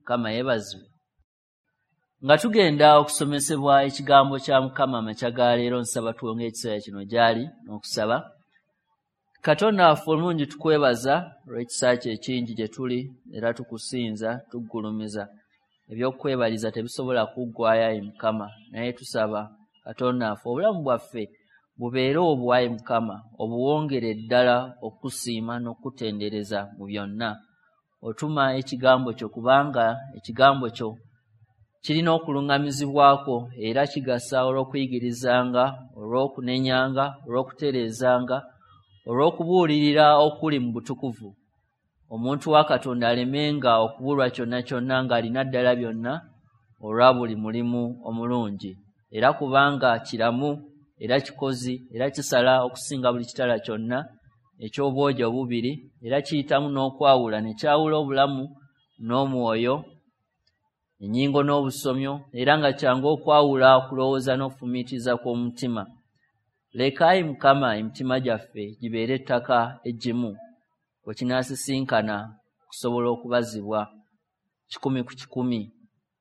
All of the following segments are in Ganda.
Mukama yeebazibwe. Nga tugenda okusomesebwa ekigambo kya Mukama amakya ga leero, nsaba tuwonge ekiseera kino gy'ali n'okusaba. Katonda waffe omulungi, tukwebaza olw'ekisa kyo ekingi gye tuli, era tukusinza, tuggulumiza. Ebyokwebaliza tebisobola kuggwaayo, ayi Mukama, naye tusaba Katonda waffe obulamu bwaffe bubeere obwo, ayi Mukama, obuwongere ddala okusiima n'okutendereza mu byonna. Otuma ekigambo kyo, kubanga ekigambo kyo kirina okuluŋŋamizibwako era kigasa olw'okuyigirizanga, olw'okunenyanga, olw'okutereezanga, olw'okubuulirira okuli mu butukuvu. Omuntu wa Katonda alemenga okubulwa kyonna kyonna ng'alina ddala byonna olwa buli mulimu omulungi. Era kubanga kiramu era kikozi era kisala okusinga buli kitala kyonna eky'obwogi obubiri, era kiyitamu n'okwawula ne kyawula obulamu n'omwoyo, ennyingo n'obusomyo, era nga kyangu okwawula okulowooza n'okufumiitiriza kw'omutima. Leka ayi Mukama emitima gyaffe gibeere ettaka eggimu we kinaasisinkana okusobola okubazibwa 100 ku 100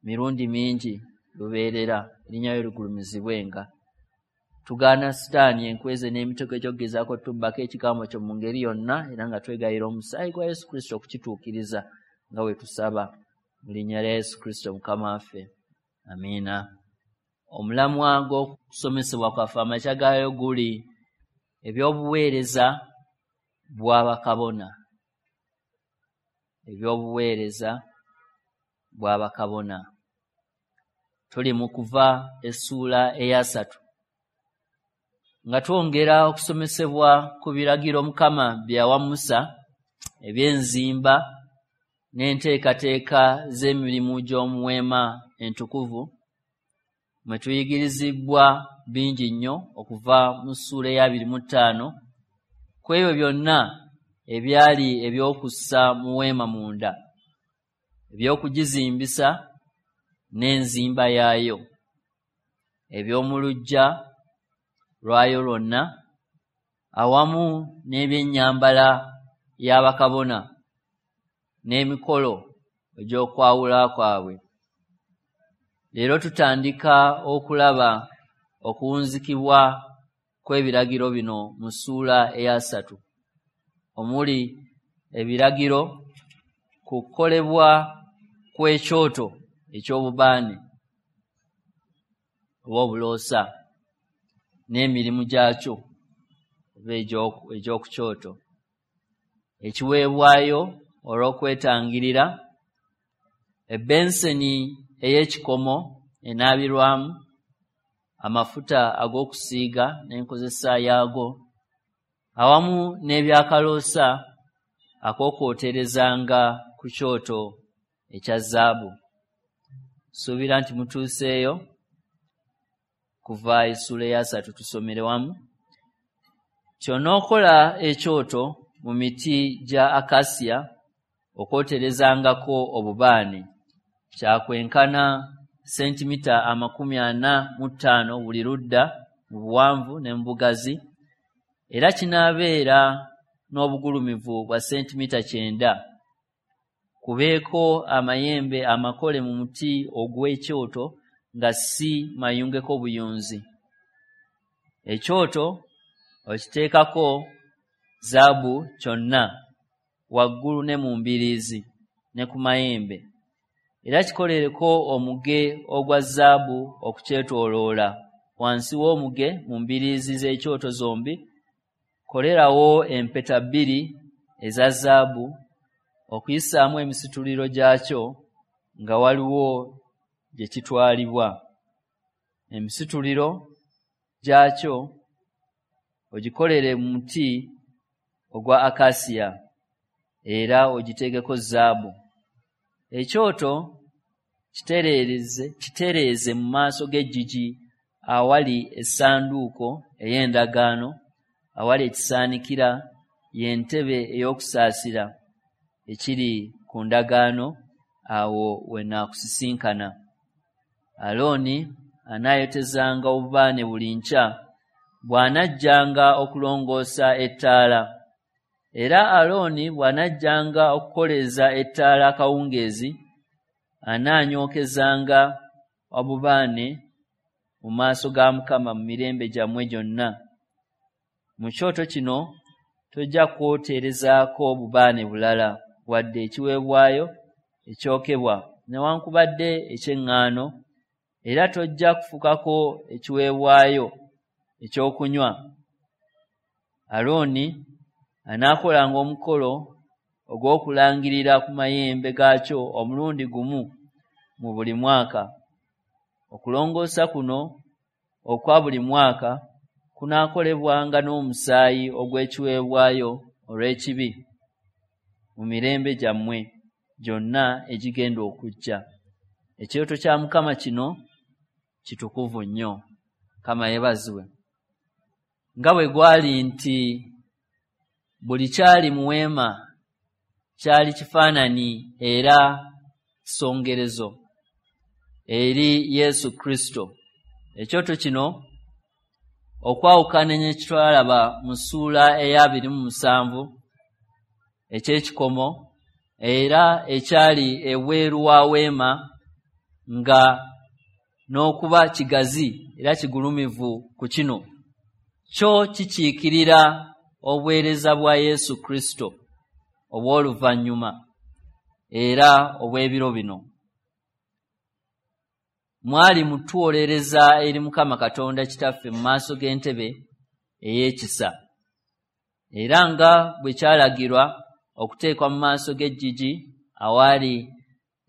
mirundi mingi lubeerera, erinnya lyo ligulumizibwenga. Tugaana Sitaani enkweze n'emitego egy'okugezaako tubbako ekigambo kyo mu ngeri yonna, era nga twegayira omusaayi gwa Yesu Kristo okukituukiriza nga bwe tusaba mu linnya lya Yesu Kristo Mukama waffe. Amiina. Omulamwa gw'okusomesebwa kwaffe amakya gaayo guli ebyobuweereza bwa bakabona. Ebyobuweereza bwa bakabona. Tuli mu kuva essuula eya 3 nga twongera okusomesebwa ku biragiro Mukama bye yawa Musa eby'enzimba n'enteekateeka z'emirimu gy'omu weema entukuvu, mwe tuyigirizibwa bingi nnyo okuva mu ssuula eya 25 ku ebyo byonna ebyali eby'okussa mu weema munda, ebyokugizimbisa n'enzimba yaayo, eby'omu luggya lwayo lwonna, awamu n'ebyennyambala y'abakabona n'emikolo egy'okwawula kwabwe. Leero tutandika okulaba okuwunzikibwa kw'ebiragiro bino mu ssuula eya 3, omuli ebiragiro ku kukolebwa kw'ekyoto eky'obubaane oba obuloosa n'emirimu gyakyo oba egy'oku kyoto, ekiweebwayo olw'okwetangirira, ebbenseni ey'ekikomo enaabirwamu, amafuta ag'okusiiga n'enkozesa yaago, awamu n'ebyakaloosa ak'okwoterezanga ku kyoto ekya zaabu. Suubira nti mutuuseeyo kuva essuula eya 3, tusomere wamu. Ky'onookola ekyoto mu miti gya akasiya okwoterezangako obubaane, kyakwenkana sentimita 45 buli ludda mu buwanvu ne mu bugazi, era kinaabeera n'obugulumivu bwa sentimita 90. Kubeeko amayembe amakole mu muti ogw'ekyoto nga si mayungeko buyunzi. Ekyoto okiteekako zaabu kyonna waggulu ne mu mbiriizi ne ku mayembe, era kikolereko omuge ogwa zaabu okukyetooloola. Wansi w'omuge mu mbiriizi z'ekyoto zombi kolerawo empeta 2 eza zaabu okuyisaamu emisituliro gyakyo nga waliwo gye kitwalibwa. Emisituliro gyakyo ogikolere mu muti ogwa akasiya era ogiteekeko zaabu. Ekyoto kitereeze mu maaso g'eggigi awali essanduuko ey'endagaano, awali ekisaanikira y'entebe ey'okusaasira ekiri ku ndagaano, awo we naakusisinkana. Alooni anaayotezanga obubaane buli nkya bw'anajjanga okulongoosa ettaala. Era Alooni bw'anajjanga okukoleeza ettaala akawungeezi, anaanyookezanga obubaane mu maaso ga Mukama mu mirembe gyammwe gyonna. Mu kyoto kino tojja kwoterezaako bubaane bulala, wadde ekiweebwayo ekyokebwa newankubadde eky'eŋŋaano, era tojja kufukako ekiweebwayo ekyokunywa. Alooni anaakolanga omukolo ogw'okulangirira ku mayembe gaakyo omulundi gumu mu buli mwaka. Okulongoosa kuno okwa buli mwaka kunaakolebwanga n'omusaayi ogw'ekiweebwayo olw'ekibi mu mirembe gyammwe gyonna egigenda okujja. Ekyoto kya Mukama kino kitukuvu nnyo. Mukama yeebazibwe. Nga bwe gwali nti buli kyali mu weema kyali kifaananyi era kisongerezo eri Yesu Kristo, ekyoto kino okwawukana ne kitwalaba mu ssuula eya 27 eky'ekikomo era ekyali ebweru wa weema, nga n'okuba kigazi era kigulumivu ku kino, kyo kikiikirira obuweereza bwa Yesu Kristo obw'oluvannyuma era obw'ebiro bino. Mwali mutuwolereza eri Mukama Katonda Kitaffe mu maaso g'entebe ey'ekisa, era nga bwe kyalagirwa okuteekwa mu maaso g'eggigi awaali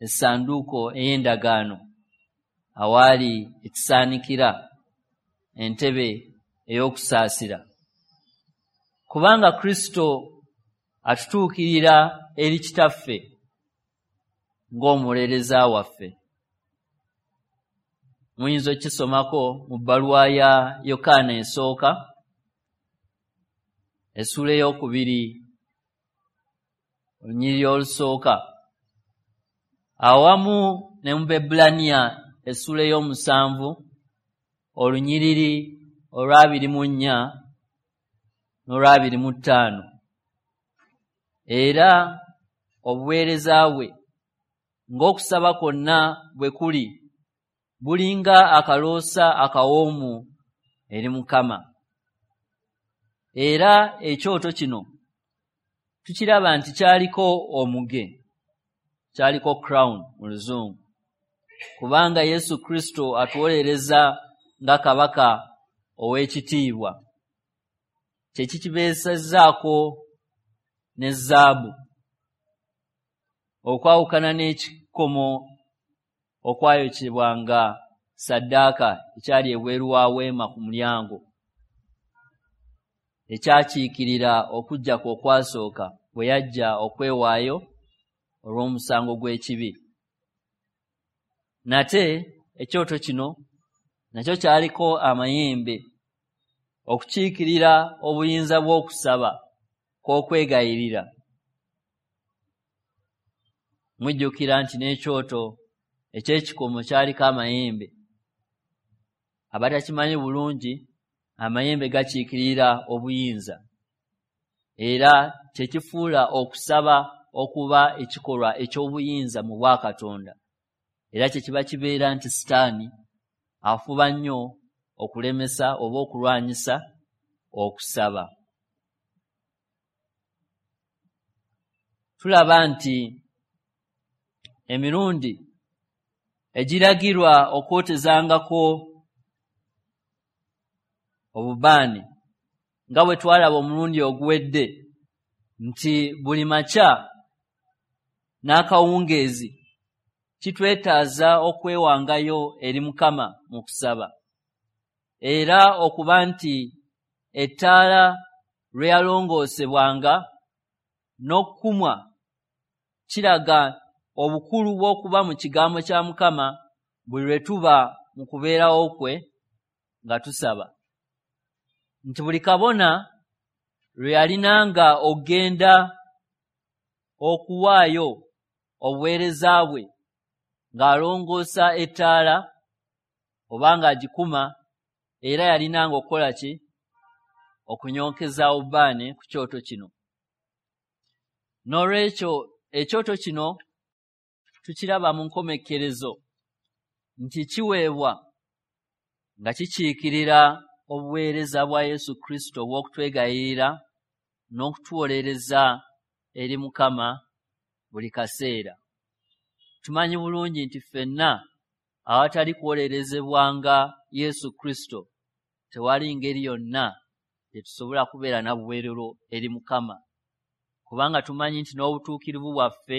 essanduuko ey'endagaano, awaali ekisaanikira entebe ey'okusaasira. Kubanga Kristo atutuukirira eri Kitaffe ng'omuwolereza waffe. Muyinza okukisomako mu bbaluwa ya Yokaana esooka, essuula 2, olunyiriri olusooka, awamu ne mu Baebbulaniya essuula 7, olunyiriri olwa 24 n'olwa 25. Era obuweereza bwe ng'okusaba kwonna bwe kuli bulinga akaloosa akawoomu eri Mukama. Era ekyoto kino tukiraba nti kyaliko omuge, kyaliko crown mu Luzungu, kubanga Yesu Kristo atuwolereza nga kabaka ow'ekitiibwa, kye kikibeesezzaako ne zaabu, okwawukana n'ekikomo okwayokebwanga ssaddaaka ekyali ebweru wa weema ku mulyango, ekyakiikirira okujja kwe okwasooka bwe yajja okwewaayo olw'omusango gw'ekibi. Nate ekyoto kino nakyo kyaliko amayembe okukiikirira obuyinza bw'okusaba kw'okwegayirira. Mujjukira nti n'ekyoto eky'ekikomo kyaliko amayembe. Abatakimanyi bulungi, amayembe gakiikirira obuyinza, era kye kifuula okusaba okuba ekikolwa eky'obuyinza mu bwakatonda. Era kye kiba kibeera nti Sitaani afuba nnyo okulemesa oba okulwanyisa okusaba. Tulaba nti emirundi egiragirwa okwotezangako obubaane, nga bwe twalaba omulundi oguwedde nti buli makya n'akawungeezi kitwetaaza okwewangayo eri Mukama mu kusaba, era okuba nti ettaala lwe yalongoosebwanga n'okukumwa kiraga obukulu bw'okuba mu kigambo kya Mukama buli lwe tuba mu kubeerawo kwe nga tusaba. Nti buli kabona lwe yalinanga okugenda okuwaayo obuweereza bwe ng'alongoosa ettaala oba ng'agikuma, era yalinanga okukola ki? Okunyookeza obubaane ku kyoto kino. N'olwekyo ekyoto kino tukiraba mu nkomekkerezo nti kiweebwa nga kikiikirira obuweereza bwa Yesu Kristo obw'okutwegayirira n'okutuwolereza eri Mukama buli kaseera. Tumanyi bulungi nti ffenna awatali kuwolerezebwanga Yesu Kristo tewali ngeri yonna gye tusobola kubeera na buweerero eri Mukama, kubanga tumanyi nti n'obutuukirivu bwaffe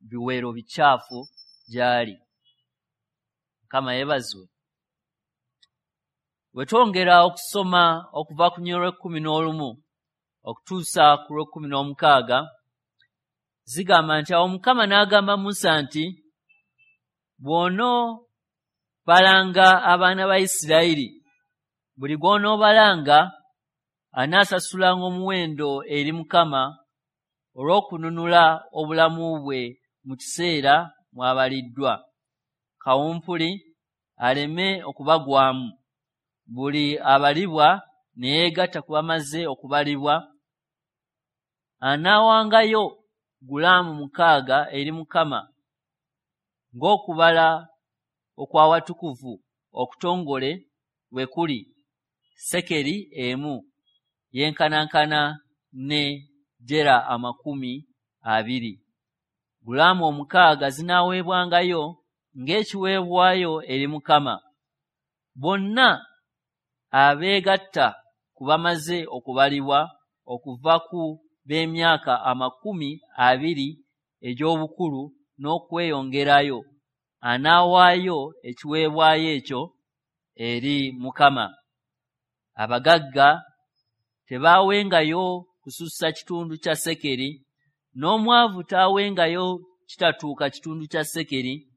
biweero bikyafu gy'ali. Mukama yeebazibwe. Bwe twongera okusoma okuva ku nnyolo lw'ekkumi n'olumu okutuusa ku lw'ekkumi n'omukaaga, zigamba nti awo Mukama n'agamba Musa nti, bw'onoobalanga abaana ba Isirayiri, buli gw'onoobalanga anaasasulanga omuwendo eri Mukama olw'okununula obulamu bwe mu kiseera mw'abaliddwa, kawumpuli aleme okubagwamu. Buli abalibwa ne yeegatta ku bamaze okubalibwa anaawangayo gulaamu 6 eri Mukama ng'okubala okw'awatukuvu okutongole bwe kuli, sekeri emu yenkanankana ne gera 20. Gulaamu 6 zinaaweebwangayo ng'ekiweebwayo eri Mukama. Bonna abeegatta ku bamaze okubalibwa okuva ku b'emyaka 20 egy'obukulu n'okweyongerayo anaawaayo ekiweebwayo ekyo eri Mukama. Abagagga tebaawengayo kusussa kitundu kya sekeri, n'omwavu taawengayo kitatuuka kitundu kya sekeri.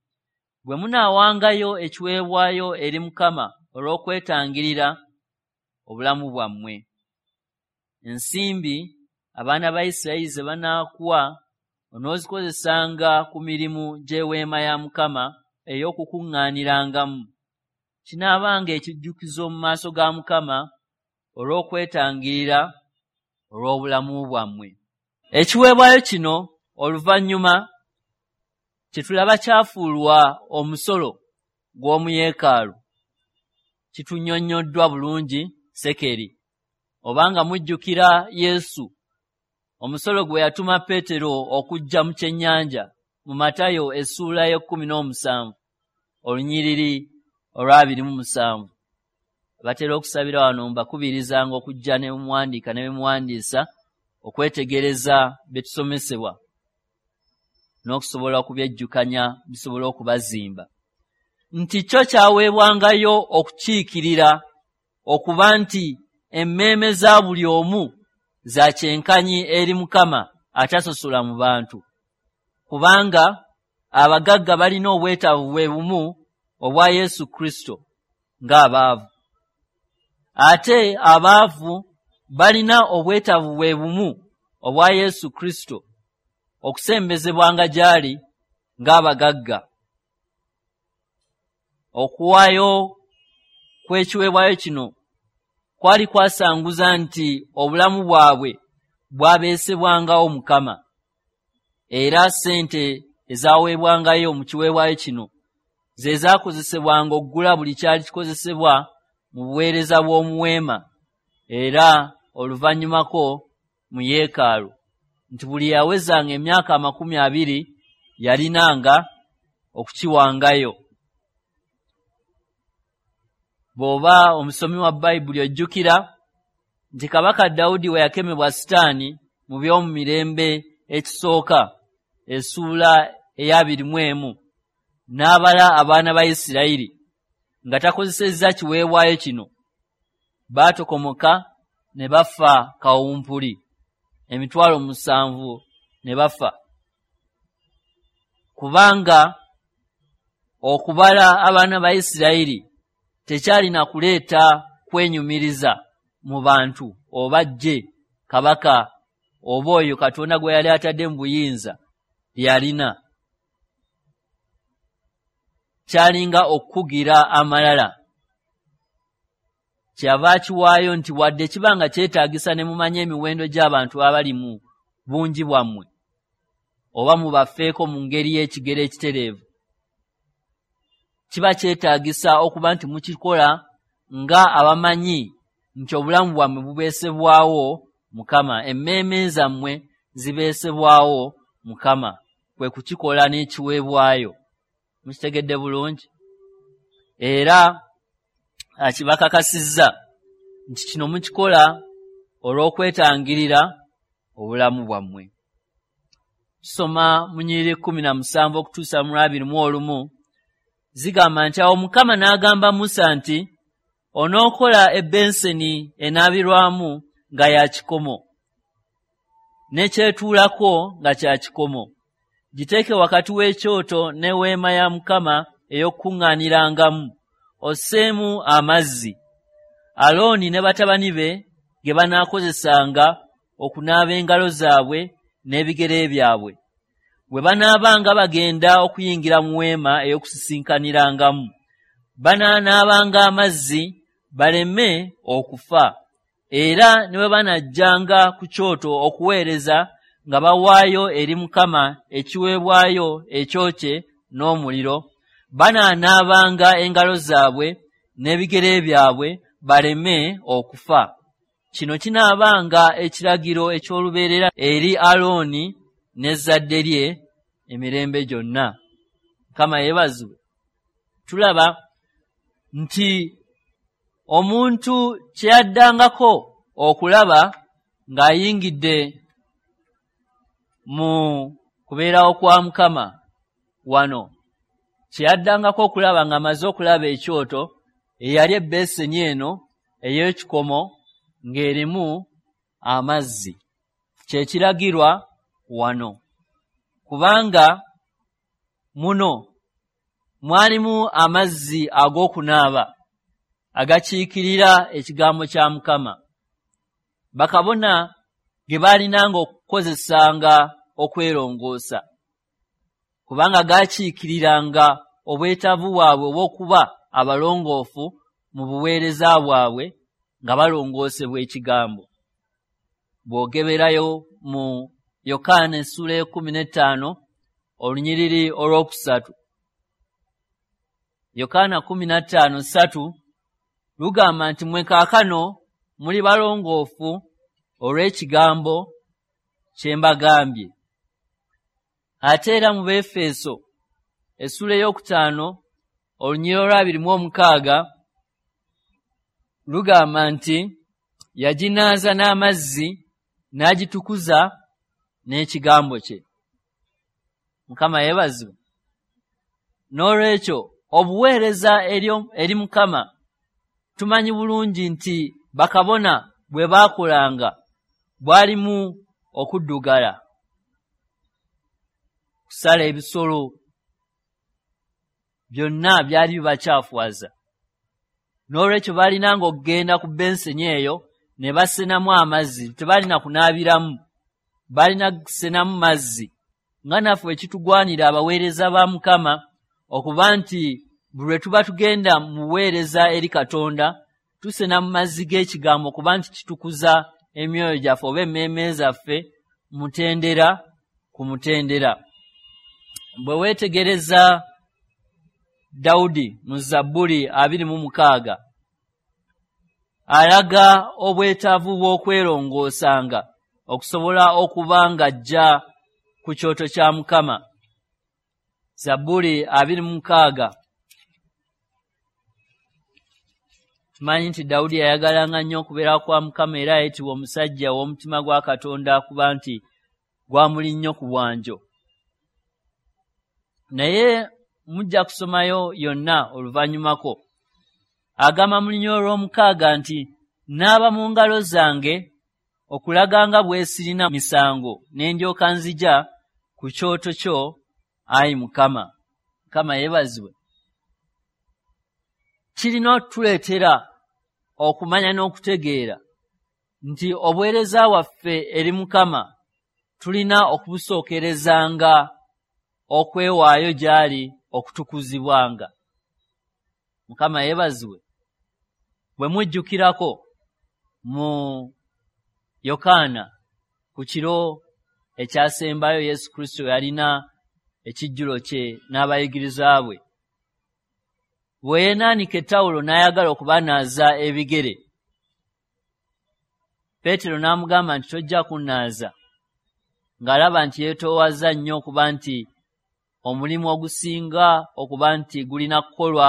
Bwe munaawangayo ekiweebwayo eri Mukama olw'okwetangirira obulamu bwammwe, ensimbi abaana ba Isirayiri ze banaakuwa onoozikozesanga ku mirimu gy'eweema ya Mukama ey'okukuŋŋaanirangamu. Kinaabanga ekijjukizo mu maaso ga Mukama olw'okwetangirira olw'obulamu bwammwe. Ekiweebwayo kino oluvannyuma kye tulaba kyafuulwa omusolo gw'omu yeekaalu kitunnyonnyoddwa bulungi sekeri. Obanga mujjukira Yesu omusolo gwe yatuma Peetero okujja mu kyennyanja mu Matayo essuula y'e17 olunyiriri olw'27. Abatera okusabira wano mbakubirizanga okujja ne muwandiika ne muwandiisa okwetegereza bye tusomesebwa n'okusobola okubyejjukanya bisobole okubazimba. Nti kyo kyaweebwangayo okukiikirira okuba nti emmeeme za buli omu za kyenkanyi eri Mukama atasosola mu bantu, kubanga abagagga balina obwetaavu bwe bumu obwa Yesu Kristo ng'abaavu, ate abaavu balina obwetaavu bwe bumu obwa Yesu Kristo okusembezebwanga gy'ali ng'abagagga. Okuwaayo kw'ekiweebwayo kino kwali kwasanguza nti obulamu bwabwe bwabeesebwangawo Mukama, era ssente ezaaweebwangayo mu kiweebwayo kino ze zaakozesebwanga okugula buli kyali kikozesebwa mu buweereza bw'omu weema era oluvannyumako mu yeekaalu, nti buli yawezanga emyaka 20 yalinanga okukiwangayo. Bw'oba omusomi wa Bayibuli ojjukira nti Kabaka Dawudi we yakemebwa Sitaani mu by'omu mirembe ekisooka essuula eya 21 n'abala abaana ba Isirayiri nga takozesezza kiweebwayo kino, baatokomoka ne bafa kawumpuli 700,000 ne bafa, kubanga okubala abaana ba Isirayiri tekyalina kuleeta kwenyumiriza mu bantu oba ggye kabaka oba oyo Katonda gwe yali atadde mu buyinza lyalina. Kyalinga okukugira amalala. Kyeyava akiwaayo nti wadde kiba nga kyetaagisa ne mumanya emiwendo gy'abantu abali mu bungi bwammwe, oba mubafeeko mu ngeri y'ekigero ekitereevu. Kiba kyetaagisa okuba nti mukikola nga abamanyi nti obulamu bwammwe bubeesebwawo Mukama, emmeeme zammwe zibeesebwawo Mukama, kwe kukikola n'ekiweebwayo. Mukitegedde bulungi? Era akibakakasizza nti kino mukikola olw'okwetangirira obulamu bwammwe. Tusoma mu nnyiriri 17 okutuusa mu 21, zigamba nti awo Mukama n'agamba Musa nti onookola ebbenseni enaabirwamu nga ya kikomo, n'ekyetuulako nga kya kikomo. Giteeke wakati w'ekyoto n'eweema ya Mukama ey'okukuŋŋaanirangamu, osseemu amazzi. Alooni ne batabani be ge banaakozesanga okunaaba engalo zaabwe n'ebigere byabwe, bwe banaabanga bagenda okuyingira mu weema ey'okusisinkanirangamu, banaanaabanga amazzi baleme okufa. Era ne bwe banajjanga ku kyoto okuweereza nga bawaayo eri Mukama ekiweebwayo ekyokye n'omuliro, banaanaabanga engalo zaabwe n'ebigere byabwe baleme okufa. Kino kinaabanga ekiragiro eky'olubeerera eri Alooni n'ezzadde lye emirembe gyonna. Mukama yeebazibwe. Tulaba nti omuntu kye yaddangako okulaba ng'ayingidde mu kubeerawo kwa Mukama wano, kye yaddangako okulaba ng'amaze okulaba ekyoto, eyali ebbeeseni eno ey'ekikomo ng'erimu amazzi. Kye kiragirwa wano, kubanga muno mwalimu amazzi ag'okunaaba agakiikirira ekigambo kya Mukama. Bakabona ge baalinanga okukozesanga okwerongoosa, kubanga gaakiikiriranga obwetaavu bwabwe obw'okuba abalongoofu mu buweereza bwabwe nga balongoosebwa ekigambo. Bw'ogeberayo mu Yokaana essula 15 olunyiriri olwokusatu, Yokaana 15:3 lugamba nti mmwe kaakano muli balongoofu olw'ekigambo kye mbagambye. Ate era mu Befeso essula 5 olunyiriri olwa 26 lugamba nti yaginaaza n'amazzi n'agitukuza n'ekigambo kye. Mukama yeebazibwe. N'olwekyo obuweereza eri Mukama tumanyi bulungi nti bakabona bwe baakolanga bwalimu okuddugala, kusala ebisolo, byonna byali bibakyafuwaza. N'olwekyo baalinanga okugenda ku benseni eyo ne basenamu amazzi, tebalina kunaabiramu, balina kusenamu mazzi. Nga naffe ekitugwanira abaweereza ba Mukama okuba nti buli lwe tuba tugenda mu buweereza eri Katonda tusena mu mazzi g'ekigambo kuba nti kitukuza emyoyo gyaffe oba emmeeme zaffe mutendera ku mutendera. Bwe weetegereza Dawudi mu Zabbuli 26 alaga obwetaavu bw'okwerongoosanga okusobola okuba ng'ajja ku kyoto kya Mukama. Zabbuli 26. Tumanyi nti Dawudi yayagalanga nnyo okubeera kwa Mukama era ayitibwa omusajja ow'omutima gwa Katonda kuba nti gwamuli nnyo ku bwanjo. Naye mujja kusomayo yonna oluvannyumako. Agamba mu lunyiriri olw'omukaaga nti naaba mu ngalo zange okulaga nga bwe sirina misango, ne ndyoka nzija ku kyoto kyo, ayi Mukama. Mukama yeebazibwe. Kirina otuleetera okumanya n'okutegeera nti obuweereza bwaffe eri Mukama tulina okubusookerezanga okwewaayo gy'ali okutukuzibwanga. Mukama yeebazibwe. Bwe mujjukirako mu Yokaana ku kiro ekyasembayo Yesu Kristo yalina ekijjulo kye n'abayigiriza bwe. Bwe yeenaanika ettawulo n'ayagala okubanaaza ebigere, Peetero n'amugamba nti tojja kunnaaza, ng'alaba nti yeetoowaza nnyo okuba nti omulimu ogusinga okuba nti gulina kukolwa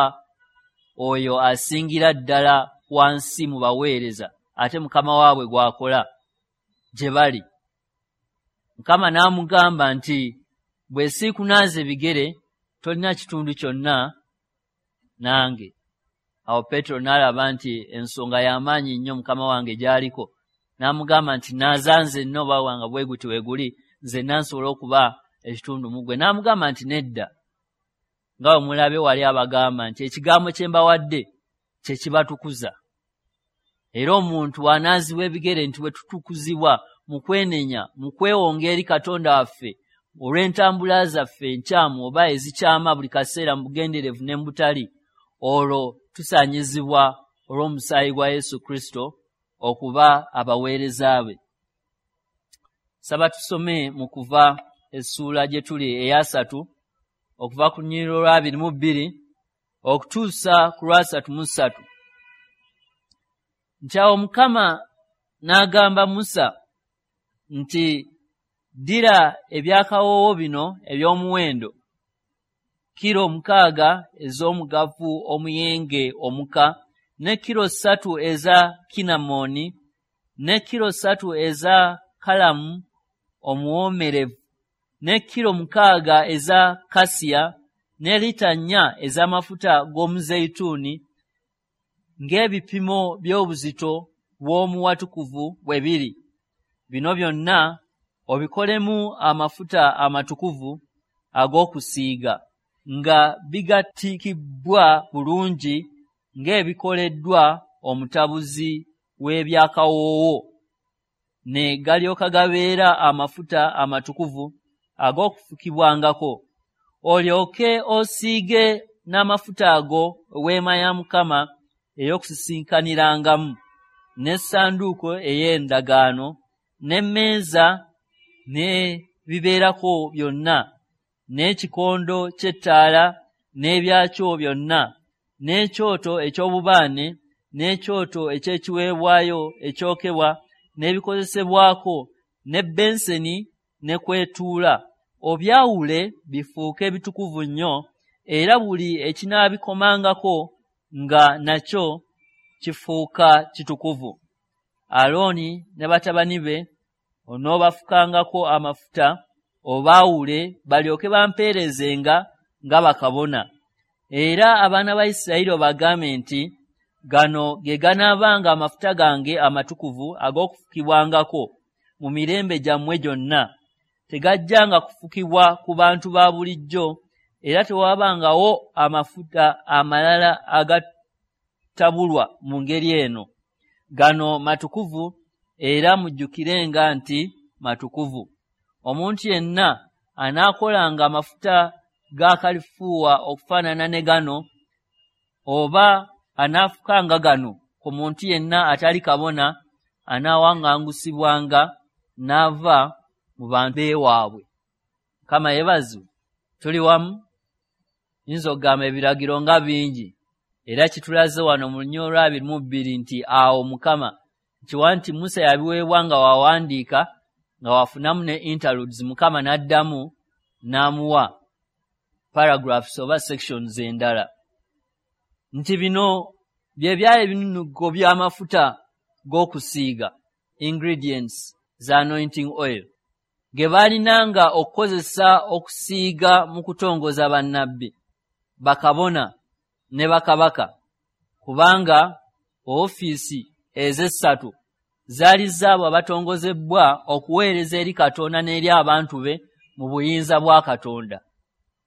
oyo asingira ddala wansi mu baweereza, ate mukama waabwe gw'akola gye bali. Mukama n'amugamba nti bwe siikunaaza ebigere tolina kitundu kyonna nange. Awo Peetero n'alaba nti ensonga y'amaanyi nnyo mukama wange gy'aliko, n'amugamba nti naaza nzenna oba wanga bwe guti we guli, nzenna nsobole okuba ekitundu mu ggwe. N'amugamba nti nedda, nga bwe mulabye wali abagamba nti ekigambo kye mbawadde kye kibatukuza. Era omuntu bw'anaazibwa ebigere nti bwe tutukuzibwa mu kwenenya, mu kwewonga eri Katonda waffe olw'entambula zaffe enkyamu oba ezikyama buli kaseera mu bugenderevu ne mu butali, olwo tusaanyizibwa olw'omusaayi gwa Yesu Kristo okuba abaweereza be. Saba tusome mu Kuva essuula gye tuli eyasatu okuva ku lunyiriri olwabiri mu bbiri okutuusa ku lwasatu mu ssatu. Nti awo Mukama n'agamba Musa nti ddira ebyakawoowo bino eby'omuwendo, kilo 6 ez'omugavu omuyenge omuka, ne kilo 3 eza kinamoni, ne kilo 3 eza kalamu omuwoomerevu, ne kilo 6 eza kasiya, ne lita 4 ez'amafuta g'omuzeyituuni, ng'ebipimo by'obuzito bw'omuwatukuvu bwe biri. Bino byonna obikolemu amafuta amatukuvu ag'okusiiga, nga bigattikibbwa bulungi ng'ebikoleddwa omutabuzi w'ebyakawoowo, ne galyoka gabeera amafuta amatukuvu ag'okufukibwangako. Olyoke osiige n'amafuta ago eweema ya Mukama ey'okusisinkanirangamu, n'essanduuko ey'endagaano, n'emmeeza n'ebibeerako byonna, n'ekikondo ky'ettaala n'ebyakyo byonna, n'ekyoto eky'obubaane, n'ekyoto eky'ekiweebwayo ekyokebwa n'ebikozesebwako, n'ebbenseni ne kwetuula. Obyawule bifuuke bitukuvu nnyo, era buli ekinaabikomangako nga nakyo kifuuka kitukuvu. Alooni ne batabani be onoobafukangako amafuta, obaawule balyoke bampeerezenga nga bakabona. Era abaana ba Isirayiri obagambe nti gano ge ganaabanga amafuta gange amatukuvu ag'okufukibwangako mu mirembe gyammwe gyonna. Tegajjanga kufukibwa ku bantu ba bulijjo, era tewabangawo amafuta amalala agatabulwa mu ngeri eno. Gano matukuvu, era mujjukirenga nti matukuvu. Omuntu yenna anaakolanga amafuta ga kalifuuwa okufaanana ne gano, oba anaafukanga gano ku muntu yenna atali kabona, anaawaŋŋangusibwanga n'ava mu bantu b'ewaabwe. Mukama yeebazibwe. Tuli wamu. Yinza okugamba ebiragiro nga bingi, era kitulaze wano mu lunyiriri olwabiri mu bbiri nti awo Mukama nkiwa nti Musa yabiweebwa nga wawandiika, nga wafunamu ne interludes, Mukama n'addamu n'amuwa paragraphs oba sections endala. Nti bino bye byali ebinunugo by'amafuta g'okusiiga, ingredients za anointing oil, ge baalinanga okukozesa okusiiga mu kutongoza bannabbi, bakabona ne bakabaka, kubanga ofiisi ez'essatu zaali zaabo abatongozebwa okuweereza eri Katonda n'eri abantu be mu buyinza bwa Katonda.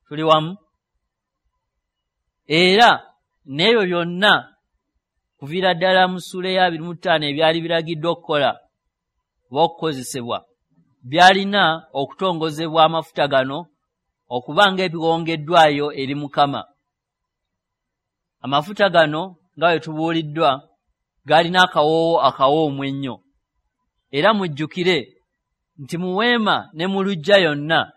Tuli wamu. Era n'ebyo byonna kuviira ddala mu ssuula eya 25 ebyali biragiddwa okukola oba okukozesebwa byalina okutongozebwa amafuta gano okuba ng'ebiwongeddwayo eri Mukama. Amafuta gano nga bwe tubuuliddwa galina akawoowo akawoomu ennyo. Era mujjukire Nti mu weema ne mu luggya yonna,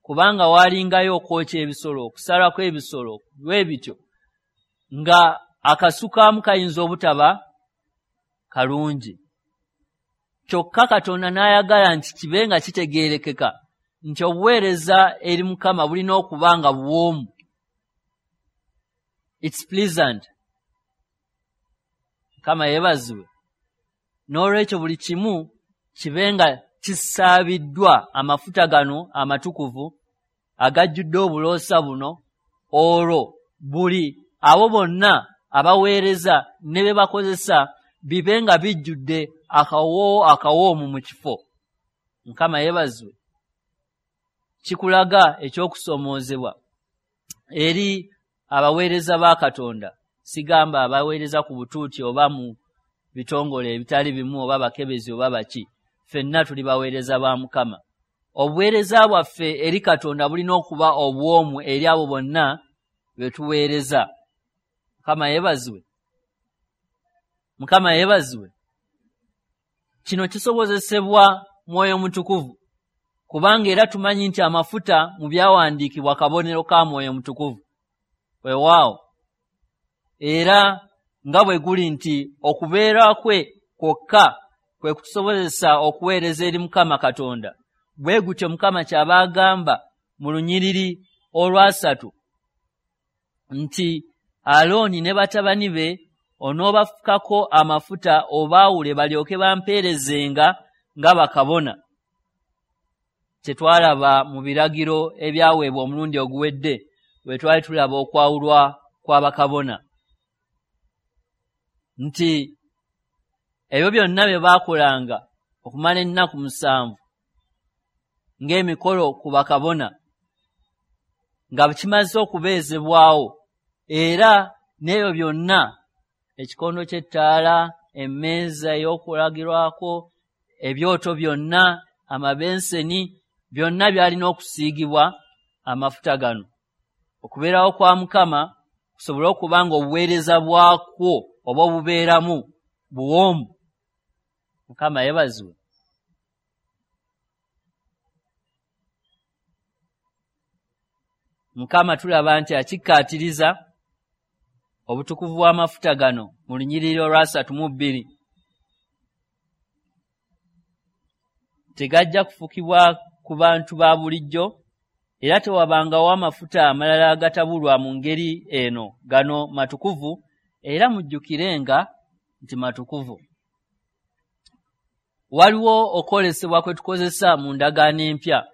kubanga waalingayo okwokya ebisolo, okusalako ebisolo bwe bityo, nga akasukaamu kayinza obutaba kalungi. Kyokka Katonda n'ayagala nti kibe nga kitegeerekeka nti obuweereza eri Mukama bulina okuba nga buwoomu. It's pleasant. Mukama yeebazibwe. N'olwekyo buli kimu kibe nga kisaabiddwa amafuta gano amatukuvu agajjudde obuloosa buno, olwo buli abo bonna abaweereza ne be bakozesa bibe nga bijjudde akawoowo akawoomu mu kifo. Mukama yeebazibwe. Kikulaga eky'okusoomoozebwa eri abaweereza ba Katonda. Sigamba abaweereza ku butuuti oba mu bitongole ebitali bimu oba bakebezi oba baki. Ffenna tuli baweereza ba Mukama. Obuweereza bwaffe eri Katonda bulina okuba obuwoomu eri abo bonna be tuweereza. Mukama yeebazibwe. Mukama yeebazibwe. Kino kisobozesebwa Mwoyo Mutukuvu, kubanga era tumanyi nti amafuta mu byawandiikibwa kabonero ka Mwoyo Mutukuvu. Weewaawo, era nga bwe guli nti okubeera kwe kwokka kwe kutusobozesa okuweereza eri Mukama Katonda, bwe gutyo Mukama ky'aba agamba mu lunyiriri olwasatu nti Alooni ne batabani be onoobafukako amafuta obaawule balyoke bampeerezenga nga bakabona. Kye twalaba mu biragiro ebyaweebwa omulundi oguwedde bwe twali tulaba okwawulwa kw'abakabona, nti ebyo byonna bye baakolanga okumala ennaku 7 ng'emikolo ku bakabona nga kimaze okubeezebwawo, era n'ebyo byonna ekikondo ky'ettaala, emmeeza ey'okulagirwako, ebyoto byonna, amabenseni, byonna byalina okusiigibwa amafuta gano. Okubeerawo kwa Mukama kusobole okuba nga obuweereza bwakwo oba obubeeramu buwoomu. Mukama yeebazibwe. Mukama tulaba nti akikkaatiriza obutukuvu bw'amafuta gano mu lunyiriri olwa 32. Tegajja kufukibwa ku bantu ba bulijjo, era tewabangawo amafuta amalala agatabulwa mu ngeri eno. Gano matukuvu, era mujjukirenga nti matukuvu. Waliwo okwolesebwa kwe tukozesa mu ndagaano empya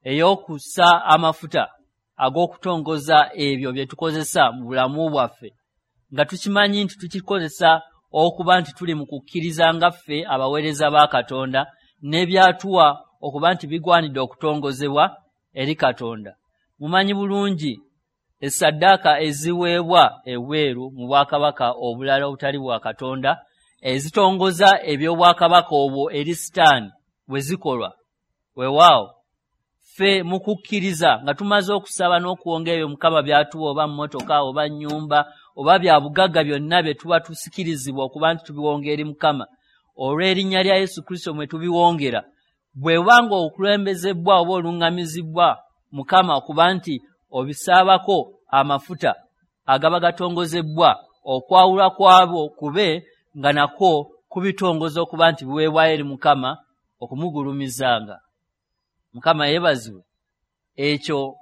ey'okussa amafuta ag'okutongoza ebyo bye tukozesa mu bulamu bwaffe, nga tukimanyi nti tukikozesa okuba nti tuli mu kukkiriza nga ffe abaweereza ba Katonda n'ebyatuwa okuba nti bigwanidde okutongozebwa eri Katonda. Mumanyi bulungi essaddaaka eziweebwa ebweru mu bwakabaka obulala obutali bwa Katonda ezitongoza eby'obwakabaka obwo eri Sitaani bwe zikolwa. Weewaawo, ffe mu kukkiriza nga tumaze okusaba n'okuwonga ebyo Mukama by'atuwa, oba mmotoka oba nnyumba oba bya bugagga byonna bye tuba tusikirizibwa okuba nti tubiwonga eri Mukama, olw'erinnya lya Yesu Kristo mwe tubiwongera. Bwe buba nga okulembezebwa oba oluŋŋamizibwa Mukama okuba nti obisaabako amafuta agaba gatongozebbwa, okwawulwa kwabwo kube nga nakwo kubitongoza okuba nti biweebwayo eri Mukama okumugulumizanga. Mukama yeebazibwe. Ekyo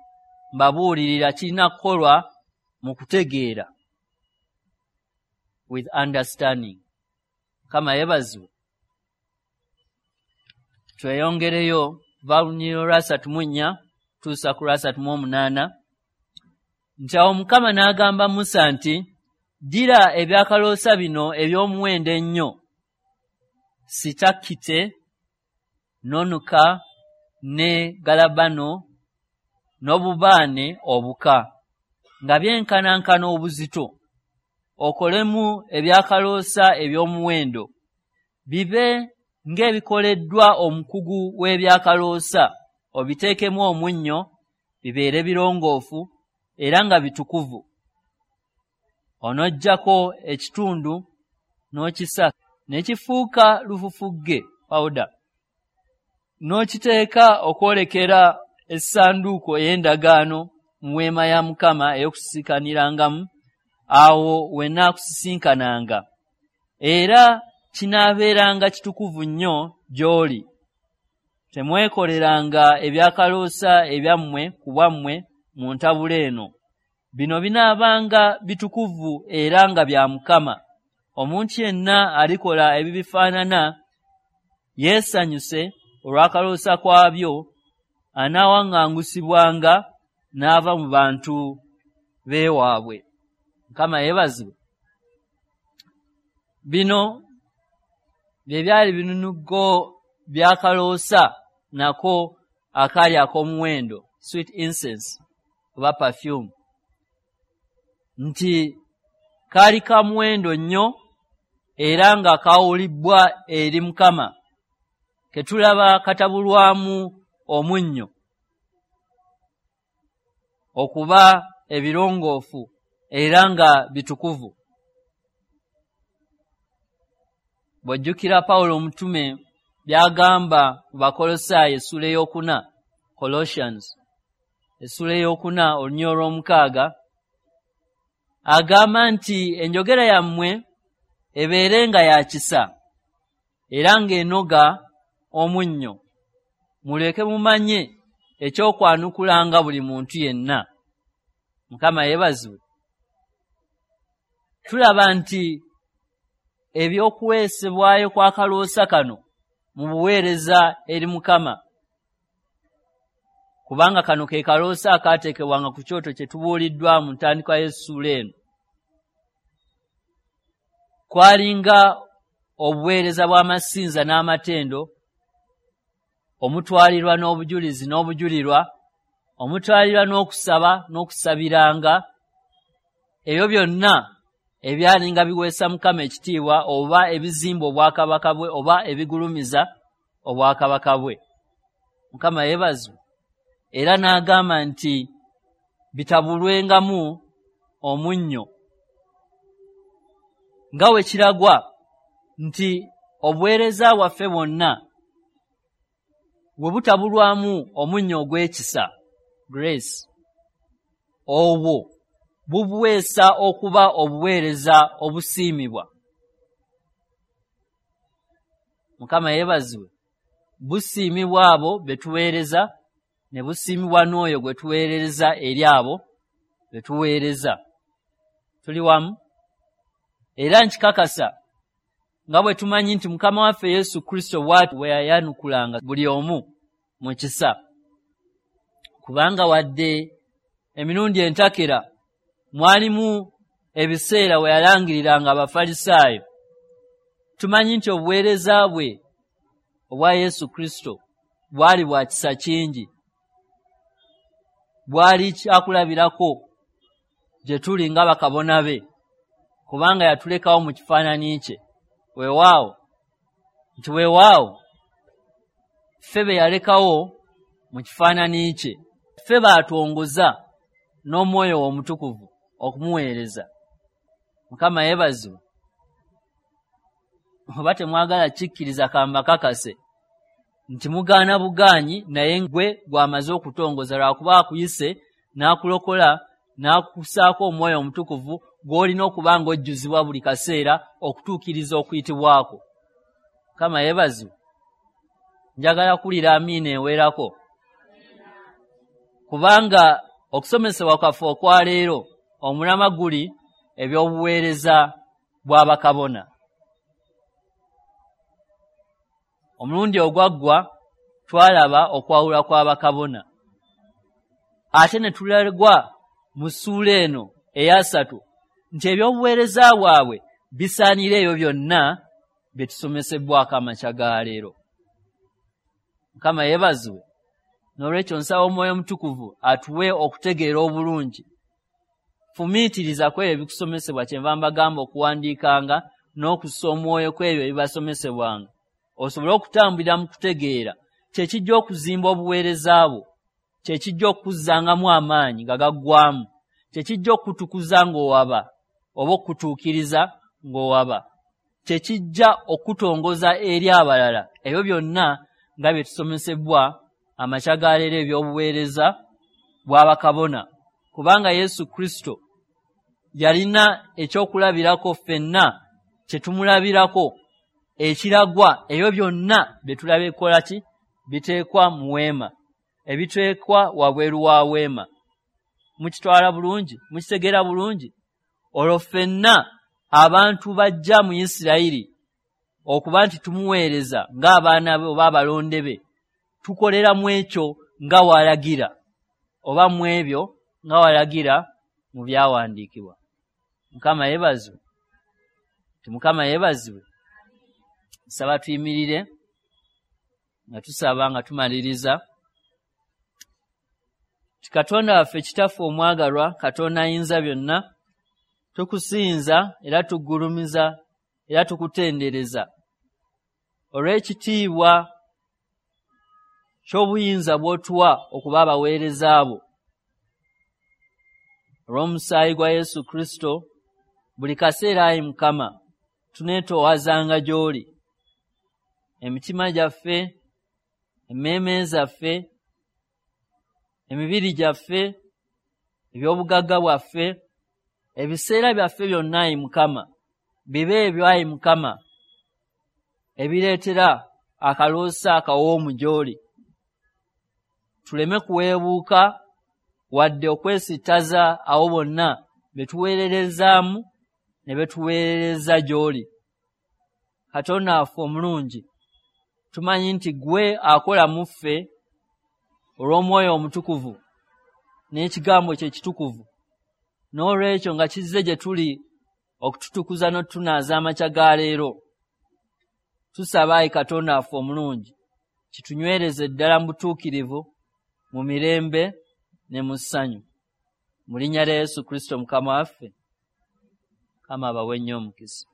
mbabuulirira kirina kukolwa mu kutegeera, with understanding. Mukama yeebazibwe. Tweyongereyo kuva lunyiriri olwa 34 tuusa ku lwa 38, nti awo Mukama n'agamba Musa nti, ddira ebyakaloosa bino eby'omuwendo ennyo, sitakite, nonuka ne galabano n'obubaane obuka, nga byenkanankana obuzito, okolemu ebyakaloosa eby'omuwendo, bibe ng'ebikoleddwa omukugu w'ebyakaloosa, obiteekemu omunnyo, bibeere birongoofu era nga bitukuvu. Onoggyako ekitundu n'okisa ne kifuuka lufufugge, powder, N'okiteeka okwolekera essanduuko ey'endagaano mu weema ya Mukama ey'okusisinkanirangamu, awo we nnaakusisinkananga. Era kinaabeeranga kitukuvu nnyo gy'oli. Temwekoleranga ebyakaloosa ebyammwe ku bwammwe mu ntabula eno. Bino binaabanga bitukuvu era nga bya Mukama. Omuntu yenna alikola ebibifaanana yeesanyuse olw'akaloosa kwabyo, anaawaŋŋangusibwanga n'ava mu bantu b'ewaabwe. Mukama yeebazibwe. Bino bye byali binunugo by'akaloosa nako akaali ak'omuwendo, sweet incense oba perfume, nti kaali ka muwendo nnyo era nga kaawulibbwa eri Mukama, ke tulaba katabulwamu omunnyo okuba ebirongoofu era nga bitukuvu. Bw'ojjukira Pawulo omutume by'agamba mu Bakolosaayi essuula 4, Colossians essuula 4 olunyiriri olw'omukaaga, agamba nti enjogera yammwe ebeere nga ya kisa era ng'enoga omunnyo, muleke mumanye ekyokwanukulanga buli muntu yenna. Mukama yeebazibwe. Tulaba nti ebyokuweesebwayo kw'akaloosa kano mu buweereza eri Mukama, kubanga kano ke kaloosa akaateekebwanga ku kyoto kye tubuuliddwa mu ntandikwa y'essuula eno, kwalinga obuweereza bw'amasinza n'amatendo, omutwalirwa n'obujulizi n'obujulirwa, omutwalirwa n'okusaba n'okusabiranga, ebyo byonna ebyalinga biweesa Mukama ekitiibwa oba ebizimba obwakabaka bwe oba ebigulumiza obwakabaka bwe. Mukama yeebazibwe. Era n'agamba nti bitabulwengamu omunnyo, nga we kiragwa nti obuweereza bwaffe bwonna bwe butabulwamu omunnyo ogw'ekisa, grace, obwo bubuweesa okuba obuweereza obusiimibwa. Mukama yeebazibwe. Busiimibwa abo be tuweereza, ne busiimibwa n'oyo gwe tuweereza eri abo be tuweereza. Tuli wamu? Era nkikakasa nga bwe tumanyi nti Mukama waffe Yesu Kristo bw'atyo bwe yayanukulanga buli omu mu kisa, kubanga wadde emirundi entakera mwalimu ebiseera we yalangiriranga Abafalisaayo, tumanyi nti obuweereza bwe obwa Yesu Kristo bwali bwa kisa kingi, bwali kyakulabirako gye tuli nga bakabona be, kubanga yatulekawo mu kifaananyi kye. Weewaawo nti weewaawo ffe be yalekawo mu kifaananyi kye, ffe baatwongoza n'omwoyo we omutukuvu okumuweereza. Mukama yeebazibwe. Oba temwagala kikkiriza, kambakakase nti mugaana bugaanyi, naye gwe gw'amaze okutongoza, lwakuba akuyise n'akulokola n'akusaako omwoyo omutukuvu gw'olina okuba ng'ojjuzibwa buli kaseera okutuukiriza okuyitibwako. Mukama yeebazibwe. Njagala kuwulira amiina ewerako, kubanga okusomesebwa kwaffe okwaleero omulamwa guli eby'obuweereza bw'abakabona. Omulundi ogwaggwa twalaba okwawulwa kw'abakabona, ate ne tulagwa mu ssuula eno 3 nti ebyobuweereza bwabwe bisaanira ebyo byonna bye tusomesebbwako amakya ga leero. Mukama yeebazibwe. N'olwekyo nsaba Omwoyo Omutukuvu atuwe okutegeera obulungi. Fumiitiriza ku ebyo ebikusomesebwa, kyenva mbagamba okuwandiikanga n'okussa omwoyo ku ebyo ebibasomesebwanga, osobole okutambulira mu kutegeera. Kye kijja okuzimba obuweereza bwo, kye kijja okukuzzangamu amaanyi nga gaggwamu, kye kijja okukutukuza ng'owaba oba okukutuukiriza ng'owaba, kye kijja okukutongoza eri abalala. Ebyo byonna nga bye tusomesebwa amakya ga leero eby'obuweereza bw'abakabona, kubanga Yesu Kristo yalina ekyokulabirako ffenna kye tumulabirako ekiragwa ebyo byonna bye tulaba ekola ki biteekwa mu weema, ebiteekwa wabweru wa weema. Mukitwala bulungi? Mukitegeera bulungi? Olwo ffenna abantu bajja mu Isirayiri okuba nti tumuweereza ng'abaana be oba abalonde be, tukolera mu ekyo nga walagira oba mu ebyo nga walagira mu byawandiikibwa. Mukama yeebazibwe. Ti Mukama yeebazibwe. Nsaba tuyimirire nga tusaba nga tumaliriza. Ti Katonda waffe, Kitaffe omwagalwa, Katonda ayinza byonna, tukusinza era tugulumiza era tukutendereza olw'ekitiibwa ky'obuyinza bw'otuwa okuba abaweereza bo. Olw'omusaayi gwa Yesu Kristo, buli kaseera ayi Mukama tuneetoowazanga gy'oli. Emitima gyaffe, emmeeme zaffe, emibiri gyaffe, eby'obugagga bwaffe, ebiseera byaffe byonna ayi Mukama, bibe ebyo ayi Mukama ebireetera akaloosa akawoomu gy'oli. Tuleme kuweebuuka wadde okwesittaza abo bonna be tuweererezaamu ne be tuweerereza gy'oli. Katonda waffe omulungi, tumanyi nti ggwe akola mu ffe olw'Omwoyo Omutukuvu n'ekigambo kye ekitukuvu. N'olwekyo nga kizze gye tuli okututukuza n'otutunaaza amakya ga leero, tusaba ayi Katonda waffe omulungi kitunywereze ddala mu butuukirivu, mu mirembe ne mu ssanyu. Mu linnya lya Yesu Kristo Mukama waffe, Mukama abawe nnyo omukisa.